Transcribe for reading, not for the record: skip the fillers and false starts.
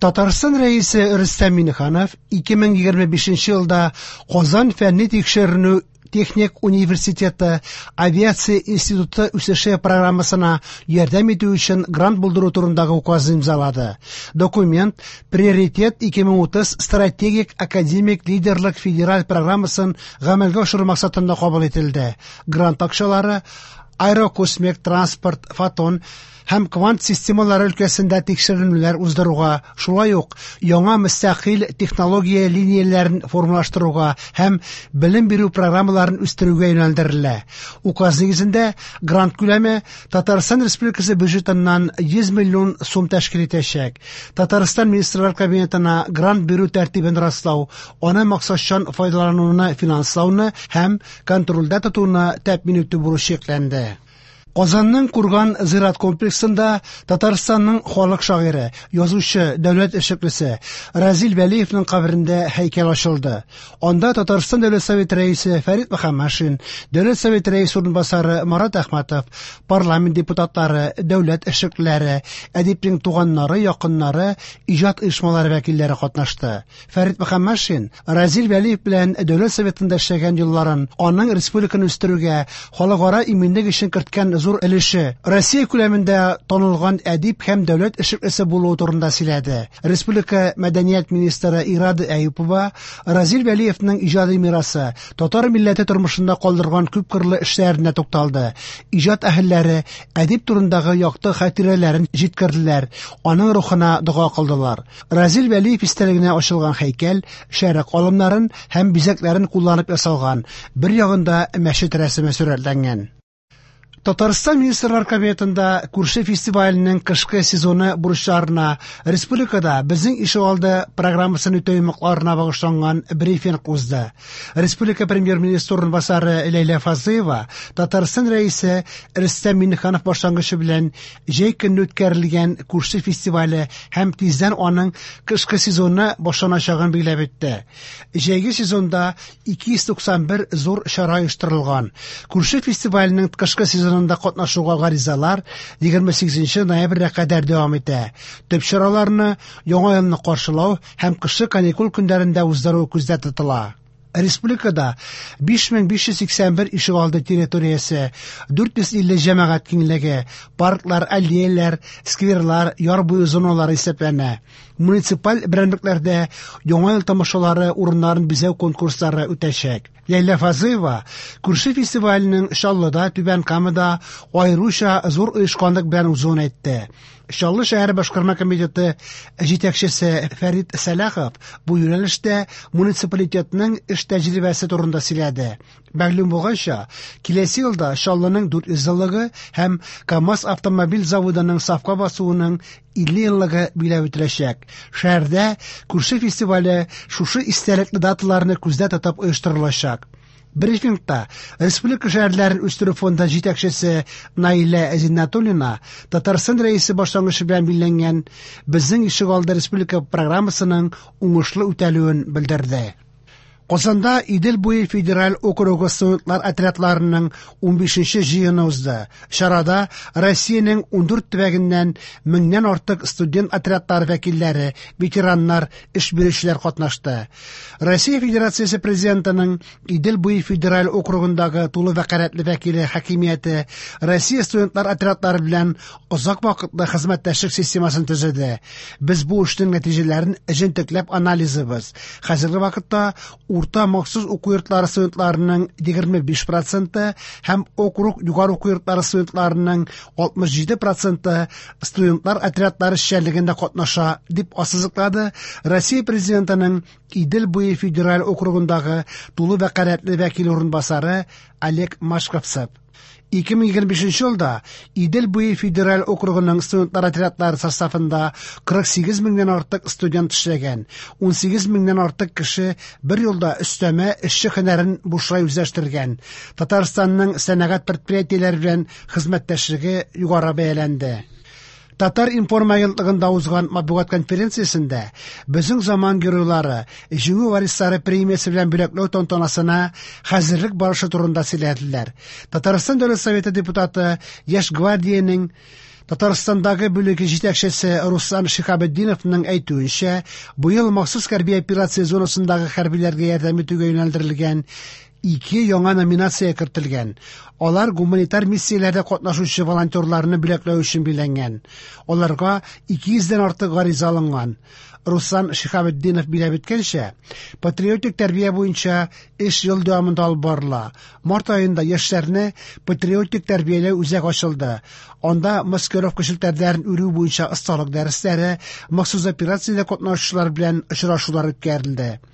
Татарстан Рәисе Рөстәм Миңнеханов 2025 елда Казан фәнни тикшеренү техник университеты авиация институты үсеше программасына ярдәм итү өчен грант булдыру турындагы указ имзалады. Документ Приоритет 2030 стратегик академик лидерлык федераль программасын гамәлгә ашыру максатында кабул ителде. Грант акчалары аэрокосмик транспорт, фотон һәм квант системалары өлкәсендә тикшеренүләр уздыруга, шулай ук яңа мөстәкыйль технология линияләрен формалаштыруга һәм белем бирү программаларын үстерүгә юнәлдерелә. Указ нигезендә грант күләме Татарстан Республикасы бюджетыннан 100 миллион сум тәшкил итәчәк. Татарстан Министрлар Кабинетына грант бирү тәртибен раслау, аны максатчан файдалануны финанслауны һәм контрольдә тотуны тәэмин итү бурычы йөкләнде. Казанның Курган зират комплексында Татарстанның халык шагыйре, язучы, дәүләт эшлеклесе Разил Вәлиевның каберендә һәйкәл ачылды. Анда Татарстан Дәүләт Советы рәисе Фәрит Мөхәммәтшин, Дәүләт Советы рәисе урынбасары Марат Әхмәтов, парламент депутатлары, дәүләт эшлеклеләре, әдипнең туганнары, якыннары, иҗат оешмалары вәкилләре катнашты. Фәрит Мөхәммәтшин Разил Вәлиев белән Дәүләт Советында эшләгән елларын, аның республиканы үстерүгә, халыкара иминлек өчен керткән зур өлеше, Россия күләмендә танылган әдип һәм дәүләт эшлеклесе булуы турында сөйләде. Республика мәдәният министры Ирада Әюпова Разил Вәлиевның иҗади мирасы, татар милләте тормышында калдырган күпкырлы эшләренә тукталды. Иҗат әһелләре әдип турындагы якты хатирәләрен җиткерделәр, аның рухына дога кылдылар. Разил Вәлиев истәлегенә ачылган һәйкәл шәрык алымнарын һәм бизәкләрен кулланып ясалган, бер ягында мәчет рәсеме сурәтләнгән. Татарстан Министрлар Кабинетында күрше фестиваленең кышкы сезоны бурычларына, республикада Безнең ишегалды программасын үтәү йомгакларына багышланган брифинг узды. Республика премьер-министры урынбасары Ләйлә Фазлыева Татарстан Рәисе Рөстәм Миңнеханов башлангычы белән җәй көнне үткәрелгән күрше фестивале һәм тиздән аның кышкы сезоны башланачагын билгеләп үтте. Җәйге сезонда 291 зур чара оештырылган. Күрше фестиваленең кышкы сезонында катнашуга гаризалар 28 ноябрьгә кадәр дәвам итә. Төп чараларны Яңа елны каршылау һәм кышкы каникул көннәрендә уздыру күздә тотыла. Республикада 5581 ишегалды территориясе, 450 җәмәгать киңлеге, парклар, аллеяләр, скверлар, яр буе зоналары исәпләнә. Муниципаль берәмлекләрдә Яңа ел тамашалары урыннарын бизәү конкурслары үтәчәк. Ләйлә Фазлыева күрше фестиваленең Чаллыда, Түбән Камада аеруча зур оешканлык белән узуын әйтте. Чаллы шәһәре башкарма комитеты җитәкчесе Фәрит Сәлахов бу юнәлештә муниципалитетның эш тәҗрибәсе турында сөйләде. Мәгълүм булганча, киләсе елда Чаллының 400 еллыгы һәм КАМАЗ автомобиль заводының сафка басуының 50 еллыгы билгеләп үтеләчәк. Шәһәрдә күрше фестивале шушы истәлекле даталарны күздә тотып оештырылачак. Брифингта Республика шәһәрләрен үстерү фонды җитәкчесе Наилә Зиннәтуллина Татарстан Рәисе башлангычы белән билгеләнгән Безнең ишегалды республика программасының уңышлы үтәлүен белдерде. Казанда Идел буе федераль округы студентлар отрядларының 15нче җыены узды. Чарада Россиянең 14 төбәгеннән меңнән артык студент отрядлары вәкилләре, ветераннар, эш бирүчеләр катнашты. Россия Федерациясе Президентының Идел буе федераль округындагы тулы вәкаләтле вәкиле хакимияте Россия студентлар отрядлары белән озак вакытлы хезмәттәшлек системасын төзеде. Без бу эшнең нәтиҗәләрен җентекләп анализыбыз. Хәзерге вакытта урта махсус уку йортлары студентларының 25 проценты һәм округ югары уку йортлары студентларының 67 проценты студентлар отрядлары эшчәнлегендә катнаша, дип ассызыклады Россия Президентының Идел буе федераль округындагы тулы вәкаләтле вәкил урынбасары Олег Машковцев. 2025 елда Идел буе федераль округының студентлар отрядлары составында 48 меңнән артык студент эшләгән, 18 меңнән артык кеше бер елда өстәмә эшче һөнәрен бушлай үзләштергән. Татарстанның сәнәгать предприятиеләре белән хезмәттәшлеге югары бәяләнде. Татар-информ агентлыгында узган матбугат конференциясендә Безнең заман геройлары, Җиңү варислары премиясе белән бүләкләү тантанасына хәзерлек барышы турында сөйләделәр. Татарстан Дәүләт Советы депутаты, Яшь гвардиянең Татарстандагы бүлеге җитәкчесе Руслан Шиһабетдиновның әйтүенчә, быел махсус хәрби операция зонасындагы хәрбиләргә ярдәм итүгә юнәлдерелгән ике яңа номинация кертелгән. Алар гуманитар миссияләрдә катнашучы волонтерларны бүләкләү өчен билгеләнгән. Аларга 200 дән артык гариза алынган. Руслан Шиһабетдинов билгеләп үткәнчә, патриотик тәрбия буенча эш ел дәвамында алып барыла. Март аенда яшьләрне патриотик тәрбияләү үзәге ачылды. Анда маскировка челтәрләрен үрү буенча осталык дәресләре, махсус операциядә катнашучылар белән очрашулар үткәрелде.